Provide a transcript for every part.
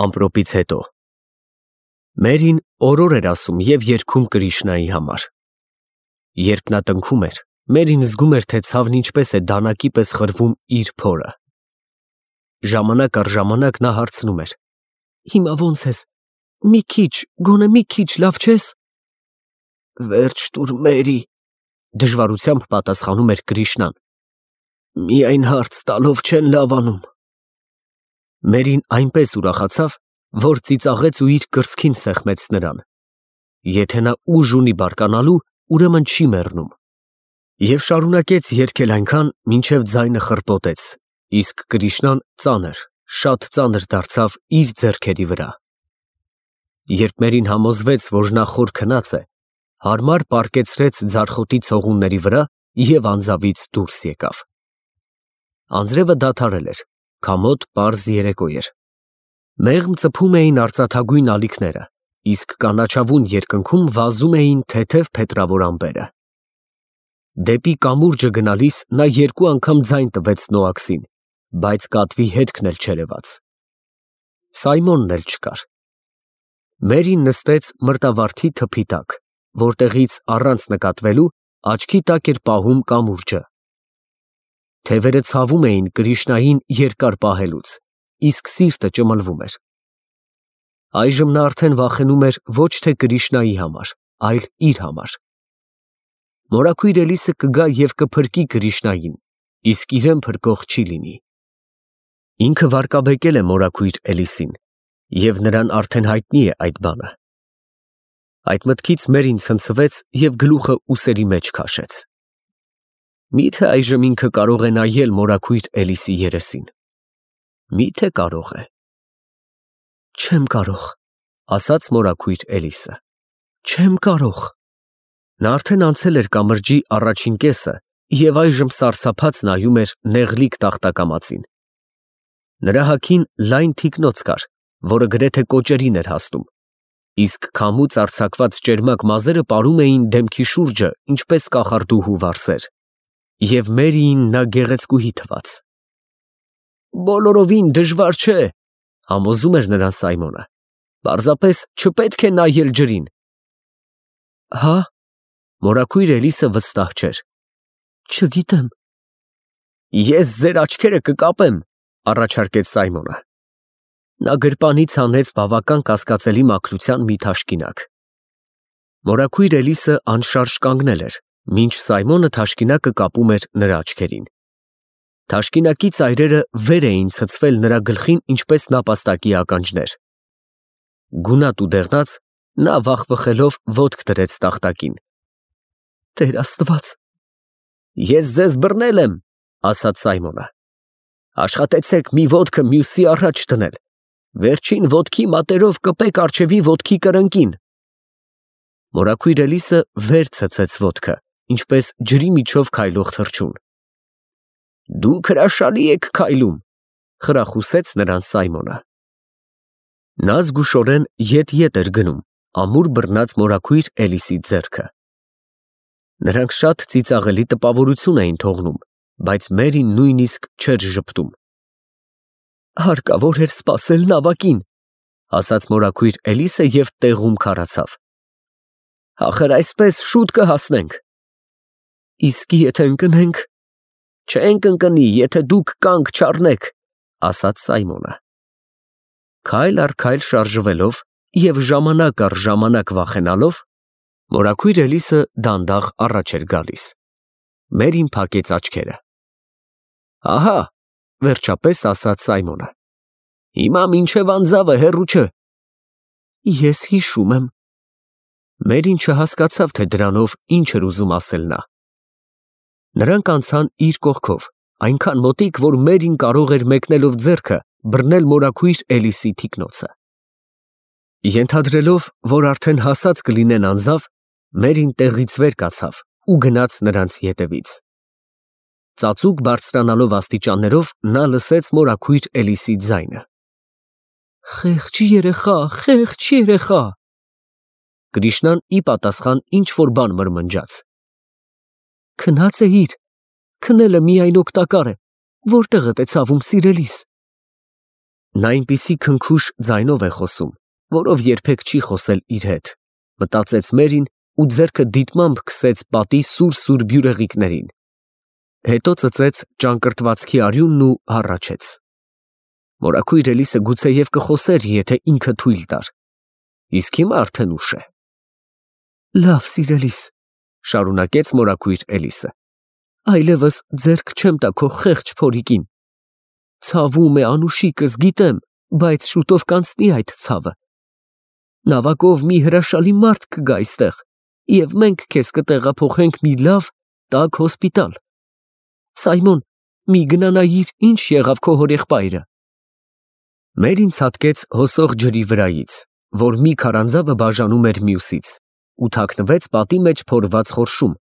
Ամպրոպից հետո Մերին օրոր էր ասում և երգում Կրիշնայի համար։ Երբ նա տնքում էր, Մերին զգում էր, թե ցավն ինչպես է դանակի պես խրվում իր փորը։ Ժամանակ առ ժամանակ նա հարցնում էր. «Հիմա ո՞նց ես, մի քիչ, գոնե մի քիչ լավ չես»։ «Վերջ տուր, Մերի», դժվարությամբ պատասխանում էր Կրիշնան։ «Միայն հարց տալով չեն լավանում»։ Մերին այնպես ուրախացավ, որ ծիծաղեց ու իր կրծքին սեղմեց նրան։ Եթե նա ուժ ունի բարկանալու, ուրեմն չի մեռնում։ Եվ շարունակեց երգել այնքան, մինչև ձայնը խրպոտեց, իսկ Կրիշնան ծանր, շատ ծանր դարձավ իր ձեռքերի վրա։ Երբ Մերին համոզվեց, որ նա խոր քնած է, հարմար պառկեցրեց ձարխոտի ցողունների վրա և անձավից դուրս եկավ։ Անձրևը դադարել էր, քամոտ պարզ երեկո էր։ Մեղմ ծփում էին արծաթագույն ալիքները, իսկ կանաչավուն երկնքում վազում էին թեթև փետրավոր ամպերը։ Դեպի կամուրջը գնալիս նա երկու անգամ ձայն տվեց Նոաքսին, բայց կատվի հետքն էլ չերևաց։ Սայմոնն էլ չկար։ Մերին նստեց մրտավարդի թփի տակ, որտեղից առանց նկատվելու աչքի տակ էր պահում կամուրջը։ Թևերը ցավում էին Կրիշնային երկար պահելուց, իսկ սիրտը ճմլվում էր։ Այժմ նա արդեն վախենում էր ոչ թե Կրիշնայի համար, այլ իր համար։ Մորաքույր Էլիսը կգա և կփրկի Կրիշնային, իսկ իրեն փրկող չի լինի։ Ինքը վարկաբեկել է մորաքույր Էլիսին, և նրան արդեն հայտնի է այդ բանը։ Այդ մտքից Մերին ցնցվեց և գլուխը ուսերի մեջ քաշեց։ Մի՞թե այժմ ինքը կարող է նայել մորաքույր Էլիսի երեսին։ Մի՞թե կարող է։ Չեմ կարող, ասաց մորաքույր Էլիսը։ Չեմ կարող։ Նա արդեն անցել էր կամրջի առաջին կեսը և այժմ սարսափած նայում էր նեղլիկ տախտակամածին։ Նրա հագին լայն թիկնոց կար, որը գրեթե կոճերին էր հասնում, իսկ քամուց արձակված ճերմակ մազերը պարում էին դեմքի շուրջը, ինչպես կախարդուհու վարսեր, և Մերիին նա գեղեցկուհի թվաց։ Բոլորովին դժվար չէ, համոզում էր նրան Սայմոնը։ Պարզապես չպետք է նայել ջրին։ Հա՞։ Մորաքույր Էլիսը վստահ չէր։ Չգիտեմ։ Ես ձեր աչքերը կկապեմ, առաջարկեց Սայմոնը։ Նա գրպանից հանեց բավական կասկածելի մաքրության մի թաշկինակ։ Մորաքույր Էլիսը անշարժ կանգնել էր, մինչ Սայմոնը թաշկինակը կապում էր նրա աչքերին։ Թաշկինակի ծայրերը վեր էին ցցվել նրա գլխին ինչպես նապաստակի ականջներ։ Գունատ ու դեղնած, նա վախվխելով ոտք դրեց տախտակին։ Տեր Աստված։ Ես ձեզ բռնել եմ, ասաց Սայմոնը։ Աշխատեցեք մի ոտքը մյուսի առաջ դնել։ Վերջին ոտքի մատերով կպեք առջևի ոտքի կրնկին։ Մորաքույր Էլիսը վեր ցցեց ոտքը, ինչպես ջրի միջով քայլող թռչուն։ Դուք հրաշալի եք քայլում, խրախուսեց նրան Սայմոնը։ Նա զգուշորեն ետ էր գնում, ամուր բռնած մորաքույր Էլիսի ձեռքը։ Նրանք շատ ծիծաղելի տպավորություն էին թողնում, բայց Մերին նույնիսկ չէր ժպտում։ Հարկավոր էր սպասել նավակին, ասաց մորաքույր Էլիսը և տեղում քարացավ։ Ախր այսպես շուտ կհասնենք։ Իսկ եթե ընկնենք։ Չենք ընկնի, եթե դուք կանգ չառնեք, ասաց Սայմոնը։ Քայլ առ քայլ շարժվելով և ժամանակ առ ժամանակ վախենալով, մորաքույր Էլիսը դանդաղ առաջ էր գալիս։ Մերին փակեց աչքերը։ Ահա, վերջապես ասաց Սայմոնը։ Հիմա մինչև անձավը հեռու չէ։ Ես հիշում եմ։ Մերին չհասկացավ, թե դրանով ինչ էր ուզում ասել նա։ Նրանք անցան իր կողքով, այնքան մոտիկ, որ Մերին կարող էր մեկնելով ձեռքը բռնել մորաքույր Էլիսի թիկնոցը։ Ենթադրելով, որ արդեն հասած կլինեն անձավ, Մերին տեղից վեր կացավ ու գնաց նրանց ետևից։ Ծածուկ բարձրանալով աստիճաններով նա լսեց մորաքույր Էլիսի ձայնը։ Խեղճ երեխա, խեղճ երեխա։ Կրիշնան ի պատասխան ինչ-որ բան մրմնջաց։ Քնած էիր, քնելը միայն օգտակար է, որտեղդ է ցավում սիրելիս։ Նա այնպիսի քնքուշ ձայնով է խոսում, որով երբեք չի խոսել իր հետ, մտածեց Մերին ու ձեռքը դիտմամբ քսեց պատի սուր բյուրեղիկներին։ Հետո ծծեց ճանկռտվածքի արյունն ու հառաչեց։ Մորաքույր Էլիսը գուցեև կխոսեր, եթե ինքը թույլ տար։ Իսկ հիմա արդեն ուշ է։ Լավ, սիրելիս, շարունակեց մորաքույր Էլիսը, այլևս ձեռք չեմ տա քո խեղճ փորիկին։ Ցավում է անուշիկս, գիտեմ, բայց շուտով կանցնի այդ ցավը։ Նավակով մի հրաշալի մարդ կգա այստեղ, և մենք քեզ կտեղափոխենք մի լավ, տաք հոսպիտալ։ Սայմոն, մի գնա նայիր, ինչ եղավ քո հորեղբայրը։ Մերին ցատկեց հոսող ջրի վրայից, որ մի քարանձավը բաժանում էր մյուսից, ու թաքնվեց պատի մեջ փորված խորշում,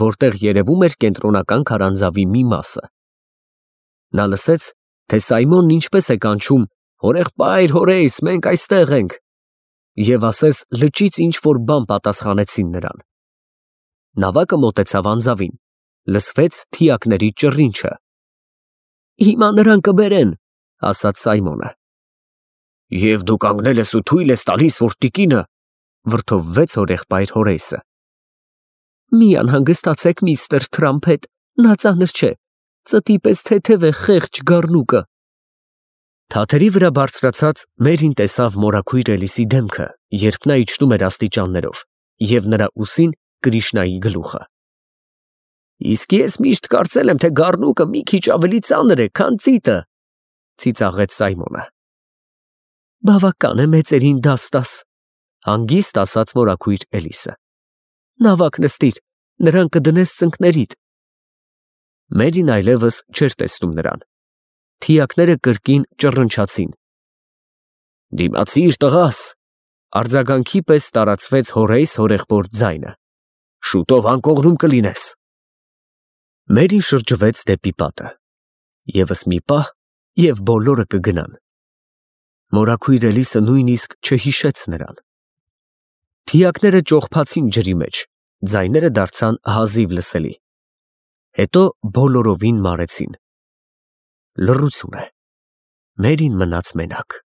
որտեղ երևում էր կենտրոնական քարանձավի մի մասը։ Նա լսեց, թե Սայմոնն ինչպես է կանչում. «Հորեղբայր, հորեյս, մենք այստեղ ենք», և ասես լճից ինչ-որ բան պատասխանեցին նրան։ Նավակը մոտեցավ անձավին, լսվեց թիակների ճռինչը։ «Հիմա նրան կբերեն», ասաց Սայմոնը։ «Եվ դու կանգնել ես ու թույլ ես տալիս, որ տիկինը…» վրդովվեց հորեղբայր Հորեյսը։ «Մի անհանգստացեք, միստր Թրամփետ, նա ծանր չէ, ծտի պես թեթև է խեղճ գառնուկը»։ Թաթերի վրա բարձրացած Մերին տեսավ մորաքույր Էլիսի դեմքը, երբ նա իջնում էր աստիճաններով, և նրա ուսին Կրիշնայի գլուխը։ «Իսկ ես միշտ կարծել եմ, թե գառնուկը մի քիչ ավելի ծանր է, քան ծիտը», ծիծաղեց Սայմոնը։ «Բավական է մեծերին դաս տաս», հանգիստ ասաց մորաքույր Էլիսը։ «Նավակ նստիր, նրան կդնես ծնկներիդ»։ Մերին այլևս չէր տեսնում նրան։ Թիակները կրկին ճռնչացին։ «Դիմացիր, տղաս», արձագանքի պես տարածվեց Հորեյս հորեղբոր ձայնը։ «Շուտով անկողնում կլինես»։ Մերին շրջվեց դեպի պատը։ Եվս մի պահ, և բոլորը կգնան։ Մորաքույր Էլիսը նույնիսկ չհիշեց նրան։ Թիակները ճողփացին ջրի մեջ, ձայները դարձան հազիվ լսելի։ Հետո բոլորովին մարեցին։ Լռություն է։ Մերին մնաց մենակ։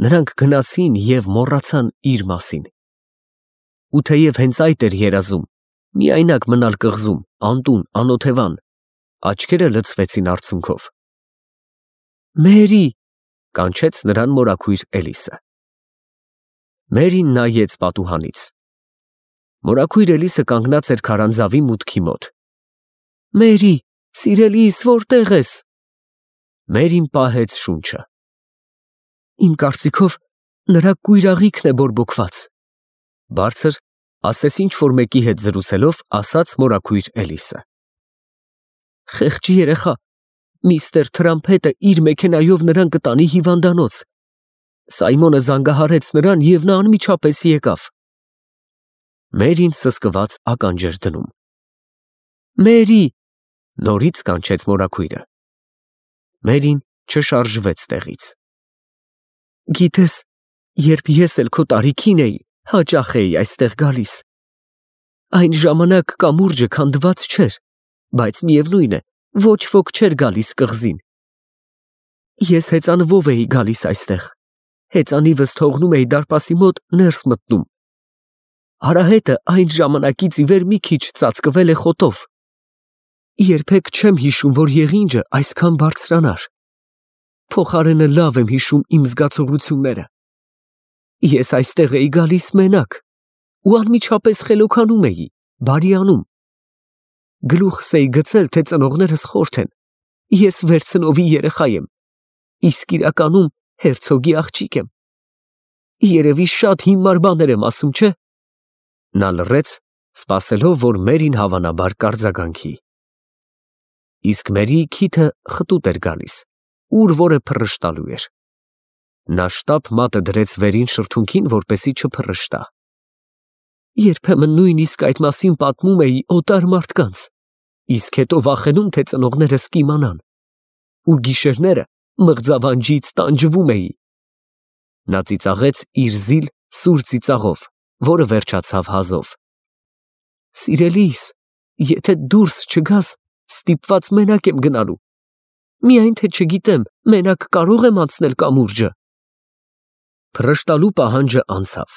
Նրանք գնացին և մոռացան իր մասին։ Ու թեև հենց այդ էր երազում, միայնակ մնալ կղզում, անտուն, անօթևան, աչքերը լցվեցին արցունքով։ «Մերի», կանչեց նրան մորաքույր Էլիսը։ Մերին նայեց պատուհանից։ Մորաքույր Էլիսը կանգնած էր քարանձավի մուտքի մոտ։ «Մերի, սիրելիս, որտե՞ղ ես»։ Մերին պահեց շունչը։ «Իմ կարծիքով նրա կույրաղիքն է բորբոքված», բարձր, ասես ինչ-որ մեկի հետ զրուցելով, ասաց մորաքույր Էլիսը։ «Խեղճ երեխա, միստր Թրամփետը իր մեքենայով նրան կտանի հիվանդանոց։ Սայմոնը զանգահարեց նրան, և նա անմիջապես եկավ»։ Մերին սսկված ականջ էր դնում։ «Մերի», նորից կանչեց մորաքույրը։ Մերին չշարժվեց տեղից։ «Գիտես, երբ ես էլ քո տարիքին էի, հաճախ էի այստեղ գալիս։ Այն ժամանակ կամուրջը քանդված չէր, բայց միևնույն է, ոչ ոք չէր գալիս կղզին։ Ես հեծանվով էի գալիս այստեղ, հեծանիվս թողնում էի դարպասի մոտ ներս մտնում։ Արահետը այն ժամանակից ի վեր մի քիչ ծածկվել է խոտով։ Երբեք չեմ հիշում, որ եղինջը այսքան բարձրանար։ Փոխարենը լավ եմ հիշում իմ զգացողությունները։ Ես այստեղ էի գալիս մենակ ու անմիջապես խելոքանում էի, բարիանում։ Գլուխս էի գցել, թե ծնողներս խորթ են, ես վերցնովի երեխա եմ, իսկ իրականում հերցոգի աղջիկ եմ։ Երևի շատ հիմար բաներ եմ ասում, չէ՞։ Նա լռեց, սպասելով, որ Մերին հավանաբար կարձագանքի։ Իսկ Մերիի քիթը խտուտ էր գալիս, ուր որը փռշտալու էր։ Նա շտապ մատը դրեց վերին շրթունքին, որպեսզի չփռշտա։ Երբեմն նույնիսկ այդ մասին պատմում էի օտար մարդկանց, իսկ հետո վախենում, թե ծնողներս կիմանան, ու գիշերները մղձավանջից տանջվում էի։ Նա ծիծաղեց իր զիլ սուր ծիծաղով, որը վերջացավ հազով։ Սիրելիս, եթե դուրս չգաս, ստիպված մենակ եմ գնալու։ Միայն թե չգիտեմ, մենակ կարող եմ անցնել կամուրջը։ Փռշտալու պահանջը անցավ։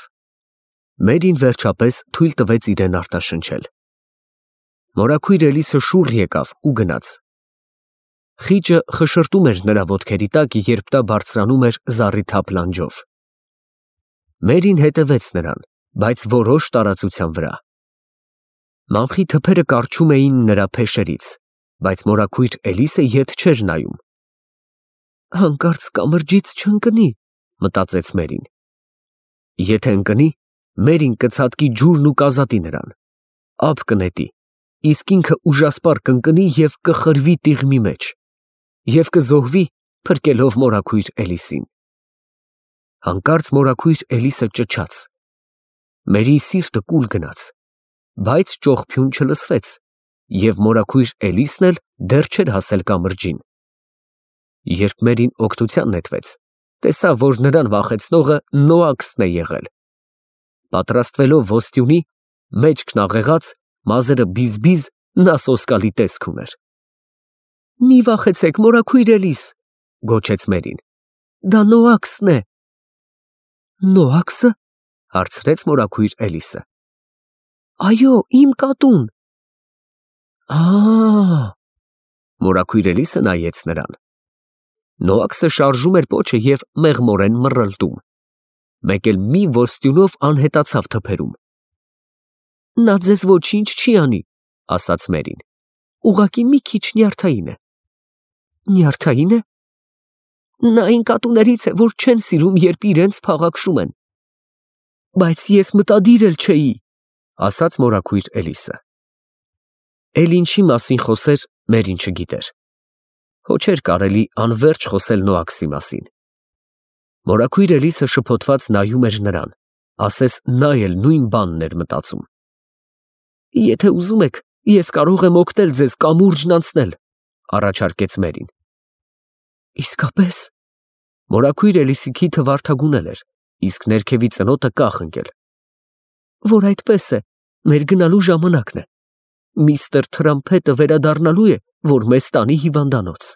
Մերին վերջապես թույլ տվեց իրեն արտաշնչել։ Մորաքույր Էլիսը շուռ եկավ ու գնաց։ Խիճը խշրտում էր նրա ոտքերի տակ, երբ նա բարձրանում էր զառիթափ լանջով։ Մերին հետևեց նրան, բայց որոշ տարածության վրա։ Մանխի թփերը կառչում էին նրա փեշերից, բայց մորաքույր Էլիսը ետ չէր նայում։ Հանկարծ կամրջից չընկնի, մտածեց Մերին։ Եթե ընկնի, Մերին կցատկի ջուրն ու կազատի նրան, ափ կնետի, իսկ ինքը ուժասպառ կընկնի և կխրվի տիղմի մեջ, և կզոհվի, փրկելով մորաքույր Էլիսին։ Հանկարծ մորաքույր Էլիսը ճչաց։ Մերի սիրտը կուլ գնաց, բայց ճողփյուն չլսվեց, և մորաքույր Էլիսն էլ դեռ չէր հասել կամրջին։ Երբ Մերին օգնության նետվեց, տեսավ, որ նրան վախեցնողը Նոակսն է եղել։ Պատրաստվելով ոստյունի, մեջքն աղեղած, մազերը բիզ-բիզ, նա սոսկալի տեսք ուներ։ Մի վախեցեք, մորաքույր Էլիս, գոչեց Մերին։ Դա Նոակսն է։ Նոակսը, հարցրեց մորաքույր Էլիսը։ Այո, իմ կատուն։ Մորաքույր Էլիսը նայեց նրան։ Նոակսը շարժում էր պոչը և մեղմորեն մռռլտում։ Մեկ էլ մի ոստյունով անհետացավ թփերում։ Նա ձեզ ոչինչ չի անի, ասաց Մերին, ուղղակի մի քիչ նյարդային է։ Նյարդայի՞ն է։ Նա այն կատուներից է, որ չեն սիրում, երբ իրենց փաղաքշում են։ Բայց ես մտադիր էլ չէի, ասաց մորաքույր Էլիսը։ Էլ ինչի մասին խոսեր, Մերին չգիտեր։ Հո չէր կարելի անվերջ խոսել Նոակսի մասին։ Մորաքույր Էլիսը շփոթված նայում էր նրան, ասես նա էլ նույն բանն էր մտածում։ Եթե ուզում եք, ես կարող եմ օգնել ձեզ կամուրջն անցնել, առաջարկեց Մերին։ Իսկապես։ Մորաքույր Էլիսի քիթը վարդագունել էր, իսկ ներքևի ծնոտը կախ ընկել։ Որ այդպես է, մեր գնալու ժամանակն է։ Միստր Թրամփետը վերադառնալու է, որ մեզ տանի հիվանդանոց։